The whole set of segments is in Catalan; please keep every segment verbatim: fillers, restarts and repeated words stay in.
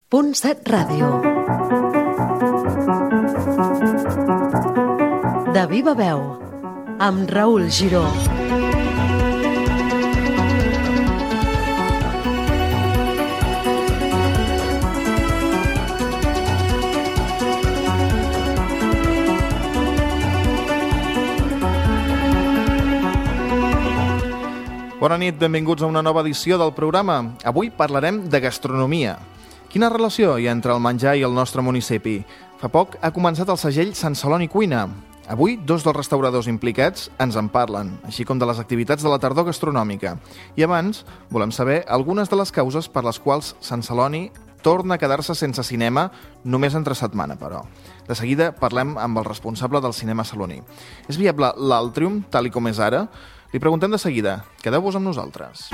Punt set Ràdio. De viva veu, amb Raül Giró. Bona nit, benvinguts a una nova edició del programa. Avui parlarem de gastronomia. Quina relació hi ha entre el menjar i el nostre municipi? Fa poc ha començat el segell Sant Celoni Cuina. Avui, dos dels restauradors implicats ens en parlen, així com de les activitats de la tardor gastronòmica. I abans, volem saber algunes de les causes per les quals Sant Celoni torna a quedar-se sense cinema, només entre setmana, però. De seguida parlem amb el responsable del cinema saloní. És viable l'Altrium, tal i com és ara? Li preguntem de seguida. Quedeu-vos amb nosaltres.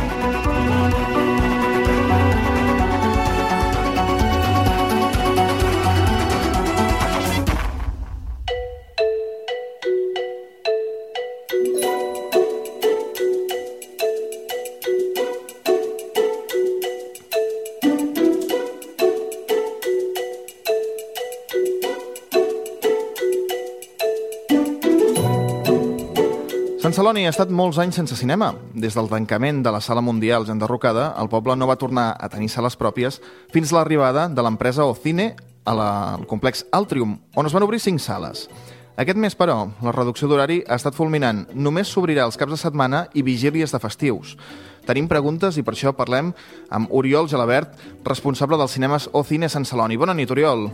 Sant Celoni ha estat molts anys sense cinema. Des del tancament de la Sala Mundial enderrocada, el poble no va tornar a tenir sales pròpies fins a l'arribada de l'empresa Ocine a la, al complex Altrium, on es van obrir cinc sales. Aquest mes, però, la reducció d'horari ha estat fulminant. Només s'obrirà els caps de setmana i vigílies de festius. Tenim preguntes i per això parlem amb Oriol Gelabert, responsable dels cinemes Ocine Sant Celoni. Bona nit, Oriol.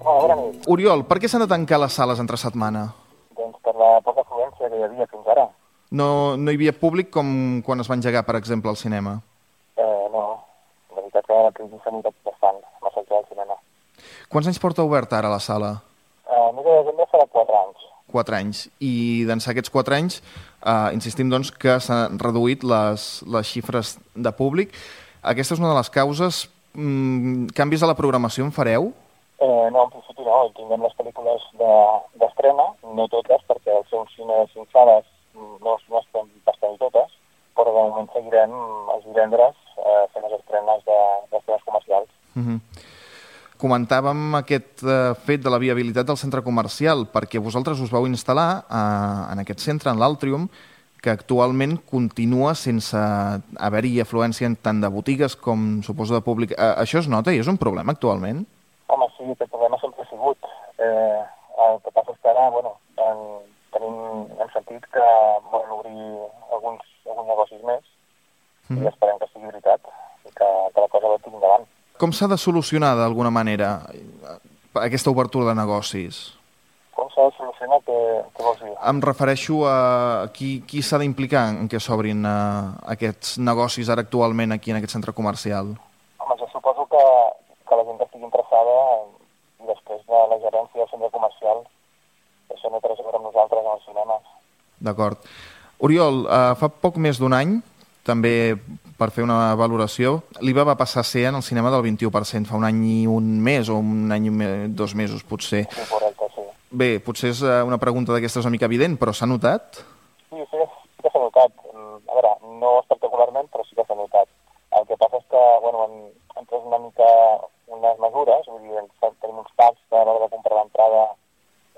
Hola, bona nit. Oriol, per què s'han de tancar les sales entre setmana? Doncs per la poca afluència que hi havia fins ara. No, no hi havia públic com quan es va engegar, per exemple, al cinema? Eh, no, la veritat que la crisi s'ha notat bastant, amb el del cinema. Quants anys porta oberta ara la sala? Eh, mes de desembre farà quatre anys. Quatre anys. I d'ençà aquests quatre anys, eh, insistim doncs que s'han reduït les, les xifres de públic. Aquesta és una de les causes. Mm, canvis a la programació en fareu? Eh, no, en principi no, tinguem les pel·lícules d'estrena, de, no totes, perquè al ser un cine de cinc sales no, no estem bastant totes, però de moment seguirem els divendres eh, fent les estrenes de, d'estrenes comercials. Uh-huh. Comentàvem aquest eh, fet de la viabilitat del centre comercial, perquè vosaltres us vau instal·lar eh, en aquest centre, en l'Altrium, que actualment continua sense haver-hi afluència tant de botigues com suposo de públic. Eh, això es nota i és un problema actualment? Home, sí, aquest problema sempre ha sigut. Eh, el que passa és que ara, bueno, en, tenim, hem sentit que volen obrir alguns, alguns negocis més mm. i esperem que sigui veritat i que, que la cosa va tingui endavant. Com s'ha de solucionar d'alguna manera aquesta obertura de negocis? Com s'ha de solucionar? Què, què vols dir? Em refereixo a qui, qui s'ha d'implicar en què s'obrin uh, aquests negocis ara actualment aquí en aquest centre comercial? Home, jo suposo que que la gent estigui interessada i després de la gerència del centre comercial això no té res a veure amb nosaltres en els cinemes. D'acord. Oriol, uh, fa poc més d'un any, també per fer una valoració, l'I V A va passar a ser en el cinema del vint-i-u per cent, fa un any i un mes o un any i dos mesos, potser. Sí, correcte, sí. Bé, potser és una pregunta d'aquestes una mica evident, però s'ha notat? Sí, sí, sí que s'ha notat. A veure, no espectacularment, però sí que s'ha notat. El que passa és que, bueno, han, han pres una mica unes mesures, vull dir, tenim uns packs que a l'hora de comprar l'entrada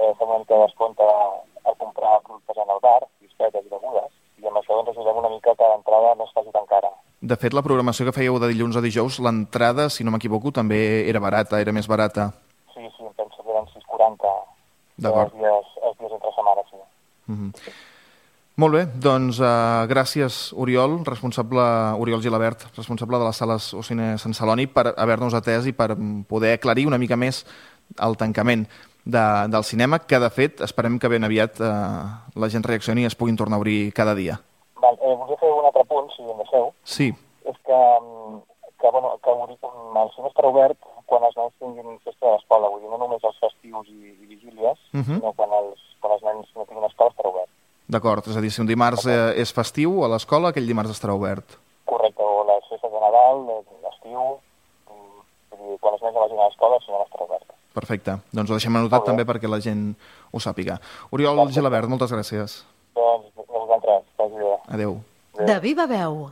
eh, fem una mica de descompte a, a comprar productes en el bar, bisbetes i begudes, i amb això doncs ajudem una mica que l'entrada no es faci tan cara. De fet, la programació que fèieu de dilluns a dijous, l'entrada, si no m'equivoco, també era barata, era més barata. Sí, sí, em penso que eren sis coma quaranta els dies, els dies entre setmana, sí. Mm-hmm. Molt bé, doncs uh, gràcies, Oriol, responsable Oriol Gelabert, responsable de les sales Ocine Sant Celoni, per haver-nos atès i per poder aclarir una mica més el tancament de, del cinema, que de fet esperem que ben aviat uh, la gent reaccioni i es puguin tornar a obrir cada dia. Val, eh, volia fer un altre punt, si em deixeu. Sí. És que, que, bueno, que el cine estarà obert quan els nens tinguin festa de l'escola, vull dir, no només els festius i, i vigílies, uh-huh. sinó quan els, quan els nens no tinguin escola estarà obert. D'acord, és a dir, si un dimarts eh, és festiu a l'escola, aquell dimarts estarà obert. Correcte, o les festes de Nadal, l'estiu, quan els nens no vagin a l'escola, si no estarà obert. Perfecte, doncs ho deixem anotat també perquè la gent ho sàpiga. Oriol Perfecte. Gelabert, moltes gràcies. Doncs a vosaltres, vagi bé. Adéu. De viva veu.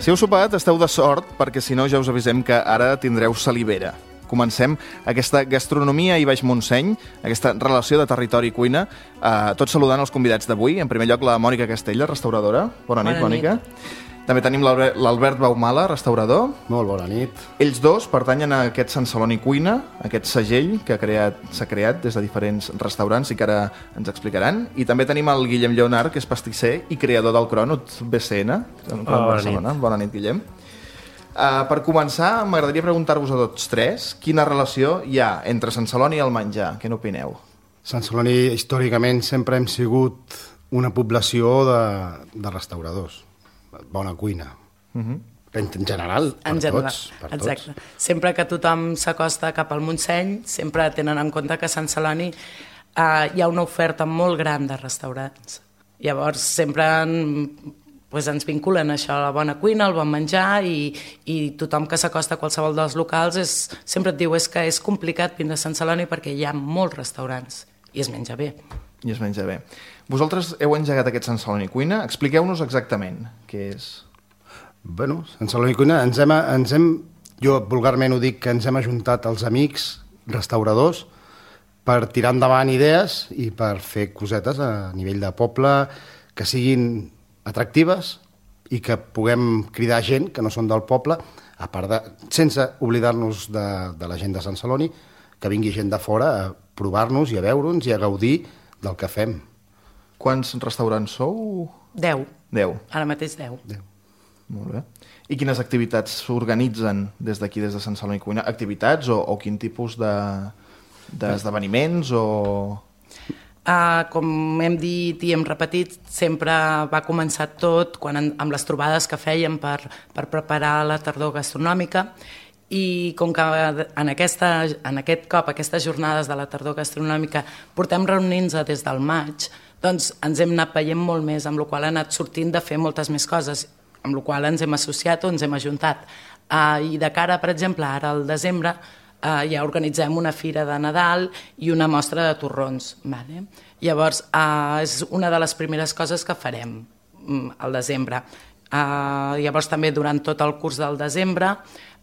Si heu sopat, esteu de sort, perquè si no ja us avisem que ara tindreu salivera. Comencem aquesta gastronomia i Baix Montseny, aquesta relació de territori i cuina, eh, tot saludant els convidats d'avui. En primer lloc, la Mònica Castella, restauradora. Bona nit, Bona Mònica. nit. També tenim l'Albert l'Albert Baumala, restaurador. Molt bona nit. Ells dos pertanyen a aquest Sant Celoni Cuina, aquest segell que s'ha creat, s'ha creat des de diferents restaurants i que ara ens explicaran. I també tenim el Guillem Lleonart, que és pastisser i creador del Cronut B C N. Oh, bona nit. Bona nit, Guillem. Uh, per començar, m'agradaria preguntar-vos a tots tres quina relació hi ha entre Sant Celoni i el menjar. Què n'opineu? Sant Celoni, històricament, sempre hem sigut una població de, de restauradors. Bona cuina. Uh -huh. En general, per en general, tots. Per exacte. tots. Sempre que tothom s'acosta cap al Montseny, sempre tenen en compte que a Sant Celoni eh, hi ha una oferta molt gran de restaurants. Llavors, sempre en, pues, ens vinculen això, a la bona cuina, al bon menjar, i, i tothom que s'acosta a qualsevol dels locals és, sempre et diu és que és complicat vindre a Sant Celoni perquè hi ha molts restaurants i es menja bé. I es menja bé. Vosaltres heu engegat aquest Sant Celoni Cuina. Expliqueu-nos exactament què és. Bueno, Sant Celoni Cuina, ens hem, ens hem, jo vulgarment ho dic, que ens hem ajuntat els amics restauradors per tirar endavant idees i per fer cosetes a nivell de poble que siguin atractives i que puguem cridar gent que no són del poble, a part de, sense oblidar-nos de, de la gent de Sant Celoni, que vingui gent de fora a provar-nos i a veure'ns i a gaudir del que fem. Quants restaurants sou? Deu. Deu. Ara mateix deu. Deu. Molt bé. I quines activitats s'organitzen des d'aquí, des de Sant Celoni Cuina? Activitats o, o quin tipus de, d'esdeveniments o... Uh, com hem dit i hem repetit, sempre va començar tot quan en, amb les trobades que fèiem per, per preparar la tardor gastronòmica, i com que en, aquesta, en aquest cop, aquestes jornades de la tardor gastronòmica, portem reunint-nos des del maig, doncs ens hem anat veient molt més, amb la qual ha anat sortint de fer moltes més coses, amb la qual ens hem associat o ens hem ajuntat. Uh, I de cara, per exemple, ara al desembre, uh, ja organitzem una fira de Nadal i una mostra de torrons. Vale? Llavors, uh, és una de les primeres coses que farem um, al desembre. Uh, llavors, també durant tot el curs del desembre,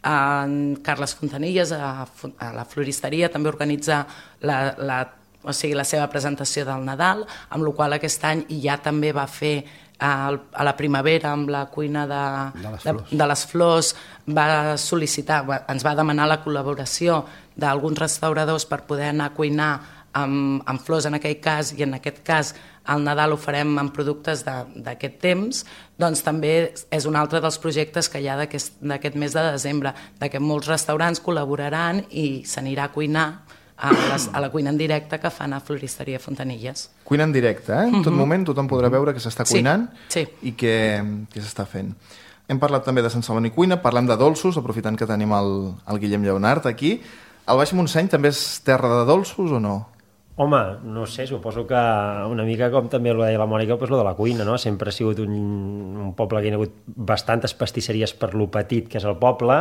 en Carles Fontanilles, a, a la floristeria, també organitza la, la, o sigui, la seva presentació del Nadal, amb la qual aquest any ja també va fer a, a la primavera amb la cuina de, de, les, de, flors. de les flors, va sol·licitar, va, ens va demanar la col·laboració d'alguns restauradors per poder anar a cuinar amb, amb flors en aquell cas, i en aquest cas al Nadal ho farem amb productes d'aquest temps, doncs també és un altre dels projectes que hi ha d'aquest mes de desembre, de que molts restaurants col·laboraran i s'anirà a cuinar a, les, a la cuina en directe que fan a Floristeria Fontanilles. Cuina en directe, eh? En tot Mhm. moment tothom podrà veure que s'està Sí, cuinant sí. i què, què s'està fent. Hem parlat també de Sant Celoni Cuina, parlem de dolços, aprofitant que tenim el, el Guillem Lleonart aquí. El Baix Montseny també és terra de dolços o no? Home, no sé, suposo que una mica com també ho deia la Mònica, doncs lo de la cuina, no? Sempre ha sigut un, un poble que hi ha hagut bastantes pastisseries per lo petit que és el poble,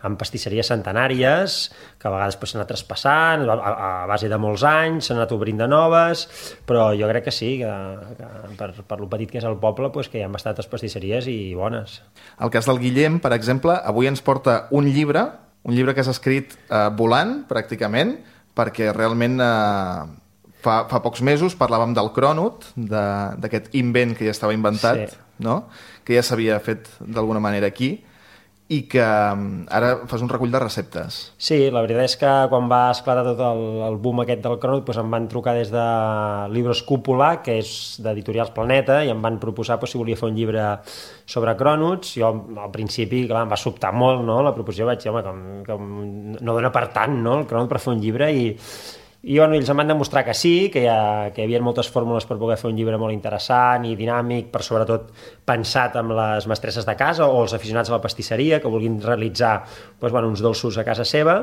amb pastisseries centenàries, que a vegades s'han anat traspassant, a, a base de molts anys, s'han anat obrint de noves, però jo crec que sí, que, que per, per lo petit que és el poble, doncs que hi ha bastantes pastisseries i bones. El cas del Guillem, per exemple, avui ens porta un llibre, un llibre que s'ha escrit eh, volant, pràcticament, perquè realment eh, fa, fa pocs mesos parlàvem del Cronut, d'aquest invent que ja estava inventat, Sí. no? Que ja s'havia fet d'alguna manera aquí, i que eh, ara fas un recull de receptes. Sí, la veritat és que quan va esclatar tot el, el boom aquest del Cronut, doncs em van trucar des de Libros Cúpula, que és d'Editorials Planeta, i em van proposar doncs, si volia fer un llibre sobre cronuts. Jo al principi, clar, em va sobtar molt, no?, la proposició, vaig dir, home, com, com no dona per tant, no?, el cronut per fer un llibre, i I bueno, ells em van demostrar que sí, que hi, ha, que hi havia moltes fórmules per poder fer un llibre molt interessant i dinàmic, per sobretot pensat amb les mestresses de casa o els aficionats a la pastisseria que vulguin realitzar doncs, bueno, uns dolços a casa seva,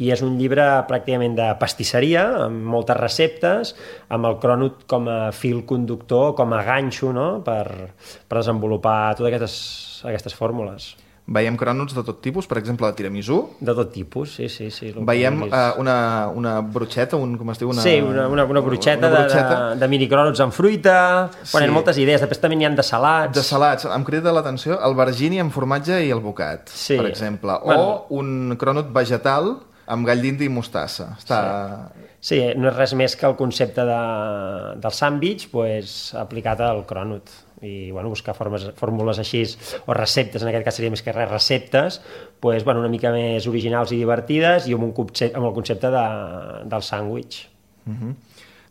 i és un llibre pràcticament de pastisseria, amb moltes receptes, amb el cronut com a fil conductor, com a ganxo, no?, per, per desenvolupar totes aquestes, aquestes fórmules. Veiem crònuts de tot tipus, per exemple, la tiramisú. De tot tipus, sí, sí. sí Veiem uh, una, una brotxeta, un, com es diu? Una... Sí, una, una, una brotxeta, una brotxeta. De, de, de minicrònuts amb fruita, sí. Bueno, hi ha moltes idees, després també n'hi ha de salats. De salats, em crida l'atenció el vergini amb formatge i el bocat, sí. Per exemple. O bueno. Un crònut vegetal amb gall d'indi i mostassa. Està... Sí. sí, no és res més que el concepte de, del sàndwich pues, aplicat al crònut. I bueno, buscar formes, fórmules així, o receptes, en aquest cas seria més que res receptes, pues, bueno, una mica més originals i divertides i amb, un concepte, amb el concepte de, del sàndwich. Uh-huh.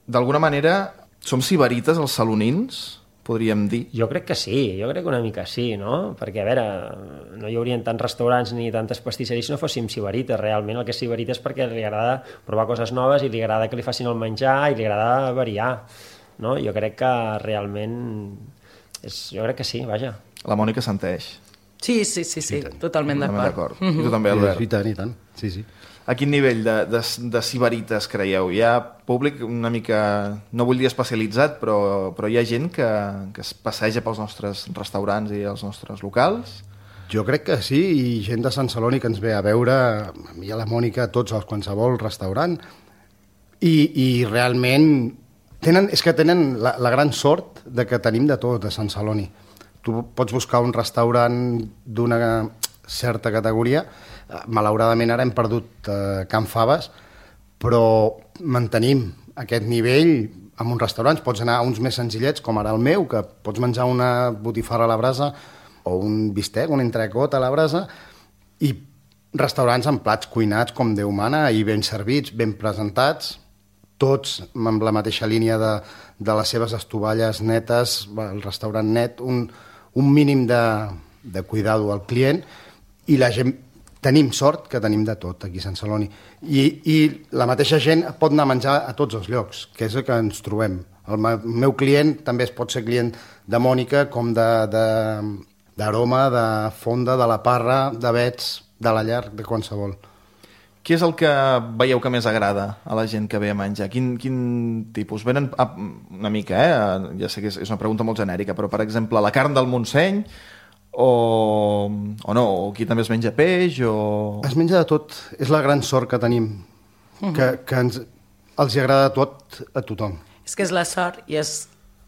D'alguna manera, som sibarites els salonins, podríem dir? Jo crec que sí, jo crec que una mica sí, no? Perquè, a veure, no hi haurien tants restaurants ni tantes pastisseries si no fóssim sibarites. Realment el que és sibarita és perquè li agrada provar coses noves i li agrada que li facin el menjar i li agrada variar, no? Jo crec que realment... És, jo crec que sí, vaja. La Mònica senteix. Sí, sí, sí, sí, sí totalment d'acord. Mm-hmm. I tu també, Albert? I tant, i tant, sí, sí. A quin nivell de, de, de sibarites creieu? Hi ha públic una mica, no vull dir especialitzat, però, però hi ha gent que, que es passeja pels nostres restaurants i els nostres locals? Jo crec que sí, i gent de Sant Celoni que ens ve a veure, a mi i a la Mònica, a tots els qualsevol restaurant, i, i realment... Tenen, és que tenen la, la gran sort de que tenim de tot a Sant Celoni. Tu pots buscar un restaurant d'una certa categoria, malauradament ara hem perdut eh, Can Faves, però mantenim aquest nivell en uns restaurants. Pots anar a uns més senzillets, com ara el meu, que pots menjar una botifarra a la brasa o un bistec, un entrecot a la brasa, i restaurants amb plats cuinats com Déu mana i ben servits, ben presentats, tots amb la mateixa línia de, de les seves estovalles netes, el restaurant net, un, un mínim de, de cuidado al client, i la gent, tenim sort que tenim de tot aquí a Sant Celoni. I, i la mateixa gent pot anar a menjar a tots els llocs, que és el que ens trobem. El meu client també es pot ser client de Mònica, com d'Aroma, de, de, de Fonda, de la Parra, de Bets, de la Llar, de qualsevol. Què és el que veieu que més agrada a la gent que ve a menjar? Quin, quin tipus? Venen a, una mica, eh? Ja sé que és, és una pregunta molt genèrica, però, per exemple, la carn del Montseny, o, o no? O aquí també es menja peix, o... Es menja de tot. És la gran sort que tenim, uh-huh. que, que ens, els agrada tot a tothom. És que és la sort i és,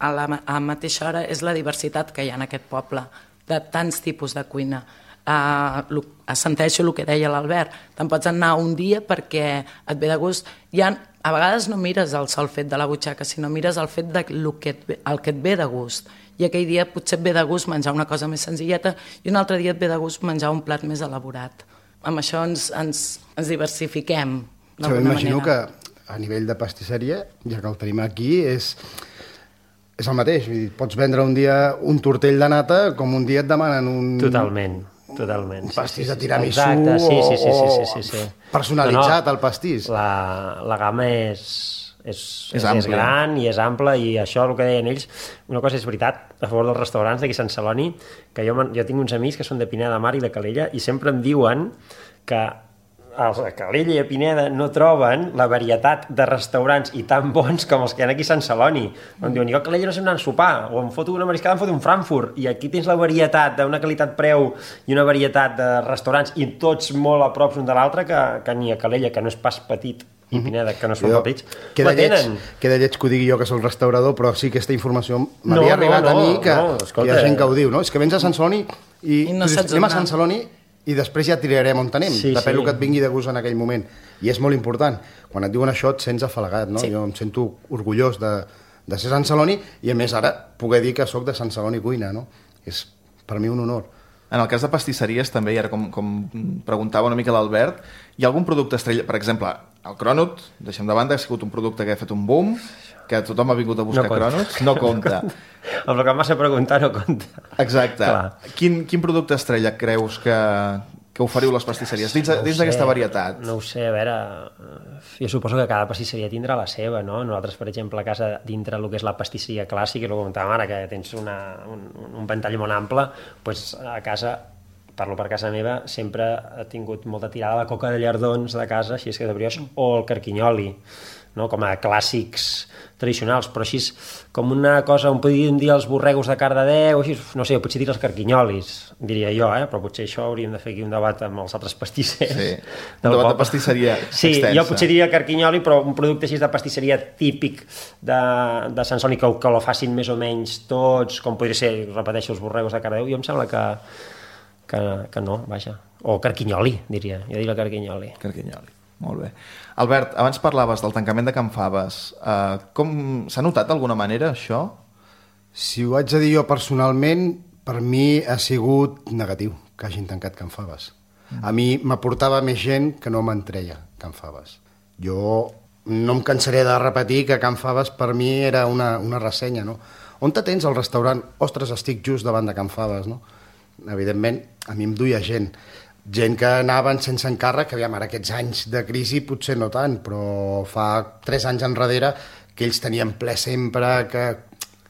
a la, a la mateixa hora és la diversitat que hi ha en aquest poble, de tants tipus de cuina. Uh, assenteixo el que deia l'Albert, te'n pots anar un dia perquè et ve de gust. Hi ha, a vegades no mires el sol fet de la butxaca, sinó mires el fet de lo que et ve, el que et ve de gust, i aquell dia potser et ve de gust menjar una cosa més senzilleta i un altre dia et ve de gust menjar un plat més elaborat. Amb això ens, ens, ens diversifiquem d'alguna manera. Imagino que a nivell de pastisseria, ja que el tenim aquí, és és el mateix. Pots vendre un dia un tortell de nata com un dia et demanen un... Totalment. Totalment. Un pastís sí, sí, de tiramisú, exacte, sí, sí, sí, sí, sí, sí, sí. o personalitzat, no, no, el pastís. La, la gamma és, és, és, és, és gran i és ampla, i això, el que deien ells, una cosa és veritat, a favor dels restaurants d'aquí a Sant Celoni, que jo, jo tinc uns amics que són de Pineda de Mar i de Calella, i sempre em diuen que els de Calella i a Pineda no troben la varietat de restaurants i tan bons com els que hi ha aquí a Sant Celoni. Em diuen, jo a Calella no sé anar a sopar, o em foto una mariscada, em foto un Frankfurt, i aquí tens la varietat d'una qualitat-preu i una varietat de restaurants, i tots molt a prop un de l'altre, que, que ni a Calella, que no és pas petit, i Pineda, que no són jo, petits, la tenen. Queda lleig que ho digui jo, que soc restaurador, però sí que aquesta informació m'havia no, arribat no, a mi, que no, hi ha gent que ho diu, no? És que vens a Sant Celoni i, I no dius, anem a Sant Celoni i després ja triarem on tenim, sí, depèn del sí. que et vingui de gust en aquell moment. I és molt important. Quan et diuen això et sents afalagat, no? Sí. Jo em sento orgullós de, de ser Sant Celoni i, a més, ara poder dir que sóc de Sant Celoni Cuina, no? És per mi un honor. En el cas de pastisseries també, i ara com, com preguntava una mica l'Albert, hi ha algun producte estrella? Per exemple, el crònut, deixem de banda, ha sigut un producte que ha fet un boom, que tothom ha vingut a buscar no crònuts, no compta. El que em vas a preguntar no compta. Exacte. Quin, quin producte estrella creus que, que oferiu les pastisseries dins, no dins d'aquesta varietat? No ho sé, a veure, jo suposo que cada pastisseria tindrà la seva, no? Nosaltres, per exemple, a casa, dintre el que és la pastisseria clàssica, i el que comentàvem ara, que tens una, un, un ventall molt ample, doncs a casa, parlo per casa meva, sempre ha tingut molta tirada la coca de llardons de casa, així és que de brioix, o el carquinyoli. no? Com a clàssics tradicionals, però així com una cosa, on podríem dir els borregos de Cardedeu, així, no sé, potser dir els carquinyolis, diria jo, eh? Però potser això hauríem de fer aquí un debat amb els altres pastissers. Sí, un debat poble. De pastisseria sí, extensa. Jo potser diria carquinyoli, però un producte així de pastisseria típic de, de Sant Celoni, que, que lo facin més o menys tots, com podria ser, repeteixo, els borregos de Cardedeu, jo em sembla que, que, que no, vaja. O carquinyoli, diria, jo diria carquinyoli. Carquinyoli. Molt bé. Albert, abans parlaves del tancament de Can Faves. Uh, com s'ha notat d'alguna manera això? Si ho haig de dir jo personalment, per mi ha sigut negatiu que hagin tancat Can Faves. Mm. A mi m'aportava més gent que no m'entreia Can Faves. Jo no em cansaré de repetir que Can Faves per mi era una, una ressenya, no? On te tens el restaurant? Ostres, estic just davant de Can Faves, no? Evidentment, a mi em duia gent. Gent que anaven sense encàrrec, que aviam, ara aquests anys de crisi potser no tant, però fa tres anys enrere que ells tenien ple sempre, que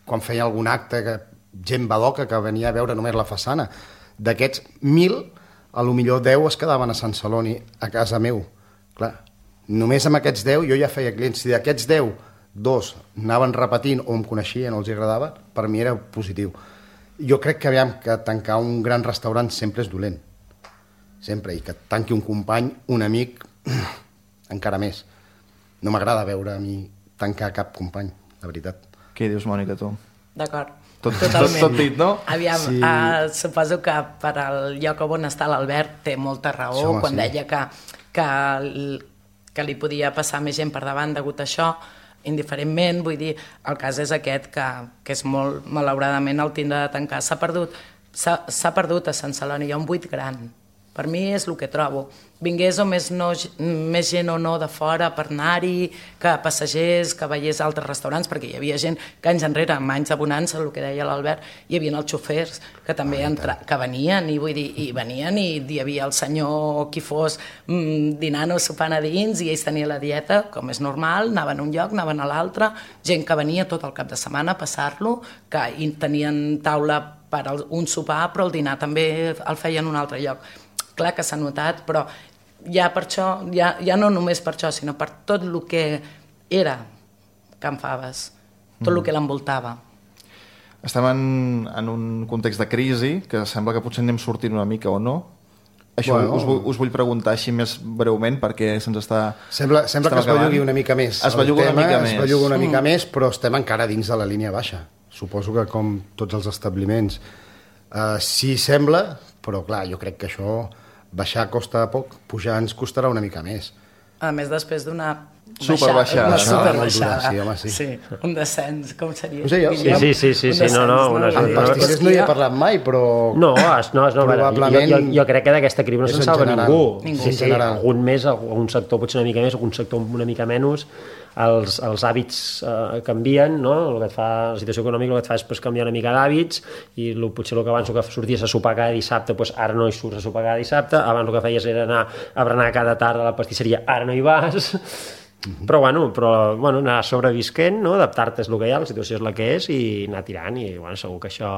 quan feia algun acte, que gent badoca que venia a veure només la façana. D'aquests mil, a lo millor deu es quedaven a Sant Celoni, a casa meu. Clar, només amb aquests deu jo ja feia clients. Si d'aquests deu, dos anaven repetint o em coneixien o els agradava, per mi era positiu. Jo crec que, aviam, que tancar un gran restaurant sempre és dolent. Sempre, i que tanqui un company, un amic, encara més. No m'agrada veure a mi tancar cap company, la veritat. Què dius, Mònica, tu? D'acord. Tot, tot, tot dit, no? Aviam, sí. uh, suposo que per al lloc on està l'Albert té molta raó, sí, home, quan sí. deia que, que, que li podia passar més gent per davant degut a això, indiferentment, vull dir, el cas és aquest, que, que és molt, malauradament, el tindre de tancar. S'ha perdut, s'ha perdut a Sant Celoni, hi ha un buit gran. Per mi és el que trobo. Vingués o més, no, més gent o no de fora per anar-hi, que passegers, que veiés altres restaurants, perquè hi havia gent que anys enrere, amb anys de bonança, el que deia l'Albert, hi havia els xofers que també entra, que venien, i vull dir, i venien i hi havia el senyor qui fos mmm, dinant o sopant a dins, i ells tenien la dieta, com és normal, anaven a un lloc, anaven a l'altre, gent que venia tot el cap de setmana a passar-lo, que tenien taula per un sopar, però el dinar també el feien en un altre lloc. Clar que s'ha notat, però ja per això, ja, ja no només per això, sinó per tot el que era Can Faves, tot el que l'envoltava. Estem en, en un context de crisi, que sembla que potser anem sortint una mica o no. Això bueno, us, vull, us vull preguntar així més breument, perquè se'ns està... Sembla, sembla que es bellugui una mica més. Es belluga una mica més. Es belluga una mica mm. més, però estem encara dins de la línia baixa. Suposo que com tots els establiments. Uh, sí sembla, però clar, jo crec que això... baixar costa poc, pujar ens costarà una mica més. A més, després d'una superbaixada, una superbaixada. No? Sí, home, sí. Sí, un descens, com seria? No sé, jo, sí, sí, sí, sí, sí, no, no. Una, amb pastissers no hi he parlat mai, però... No, es, no, es, no probablement... Jo, jo, jo crec que d'aquesta crisi no se'n salva general, ningú. ningú. Sí, sí, algun més, algun sector potser una mica més, algun sector una mica menys. Els, els hàbits eh, canvien, no? El que et fa, la situació econòmica el que et fa és pues, canviar una mica d'hàbits, i lo, potser el que abans que sorties a sopar cada dissabte, pues, ara no hi surts a sopar cada dissabte, abans el que feies era anar a berenar cada tarda a la pastisseria, ara no hi vas, mm-hmm. però bueno, però, bueno, anar sobrevisquent, no? Adaptar-te és el que hi ha, la situació és la que és, i anar tirant, i bueno, segur que això...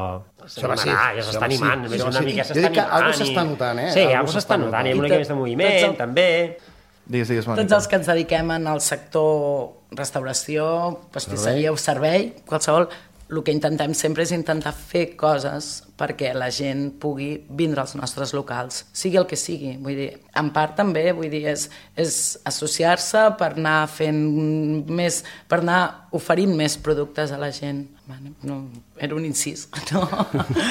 Això va sí, ja s'està animant, sí, una sí. mica s'està animant. Algo s'està notant, eh? Sí, algo s'està notant, hi ha una mica més de moviment, també... Digues, digues, Mònica. Tots els que ens dediquem al sector restauració, pastisseria o servei, qualsevol, el que intentem sempre és intentar fer coses perquè la gent pugui vindre als nostres locals, sigui el que sigui. Vull dir, en part també, vull dir, és, és associar-se per anar fent més, per anar oferint més productes a la gent. Bueno, no, era un incís, no?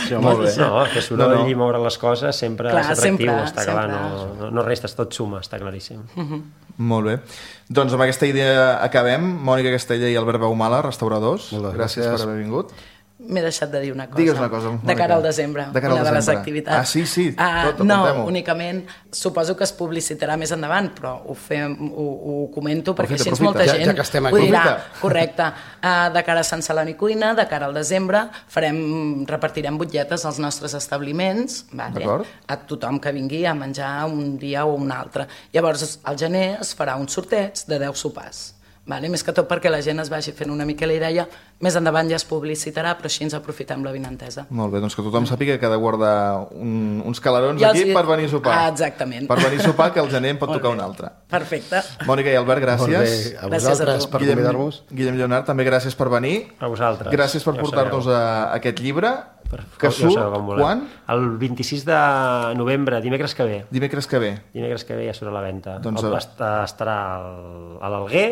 Sí, molt bé. No, que soroll no, no. I moure les coses sempre clar, és atractiu, sempre, està clar, no, no, no restes, tot suma, està claríssim. Uh-huh. Molt bé. Doncs amb aquesta idea acabem. Mònica Castella i Albert Baumala, restauradors. Gràcies, gràcies per haver vingut. M'he deixat de dir una cosa. Digues una cosa, Mònica. De cara al desembre, de cara al una de les desembre. activitats. Ah, sí, sí, uh, tot, no, contem-ho. únicament, suposo que es publicitarà més endavant, però ho, fem, ho, ho comento perquè Profita, així molta profita. gent Ja, ja que estem aquí. ho dirà. Profita. Correcte. Uh, de cara a Sant Celoni Cuina, de cara al desembre, farem, repartirem butlletes als nostres establiments, vale? A tothom que vingui a menjar un dia o un altre. Llavors, al gener es farà un sorteig de deu sopars. Vale? Més que tot perquè la gent es vagi fent una mica la idea, més endavant ja es publicitarà, però així ens aprofitem la vinentesa. Molt bé, doncs que tothom sàpiga que ha de guardar un, uns calarons I aquí els... per venir a sopar. Ah, exactament. Per venir a sopar, que el gener en pot tocar un altre. Perfecte. Mònica i Albert, gràcies. Molt bé, a vosaltres per Guillem, convidar-nos. Guillem Lleonard, també gràcies per venir. A vosaltres. Gràcies per ja portar-nos a aquest llibre, per... que ja surt quan? El vint-i-sis de novembre, dimecres que ve. Dimecres que ve. Dimecres que ve ja surt a la venda. Doncs, el, estarà al, a l'Alguer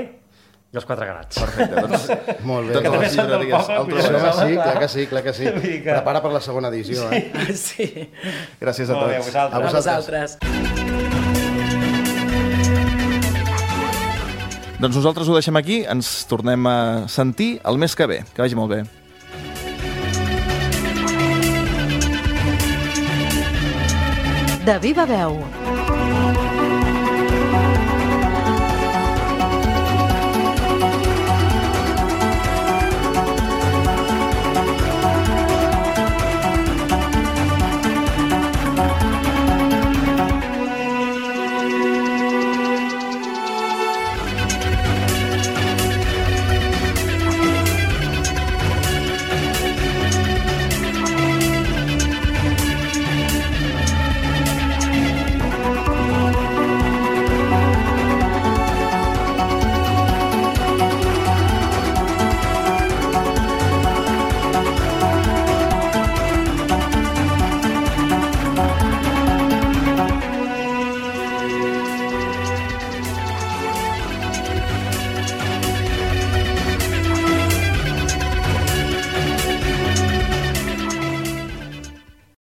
i els Quatre Grats. Perfecte, doncs... Molt bé. Totes les llibreries el trobareu. Sí, clar que sí, clar que sí. Prepara per la segona edició, eh? Sí. Gràcies a tots. Molt bé, a vosaltres. A vosaltres. Doncs nosaltres ho deixem aquí, ens tornem a sentir el mes que ve. Que vagi molt bé. De viva veu.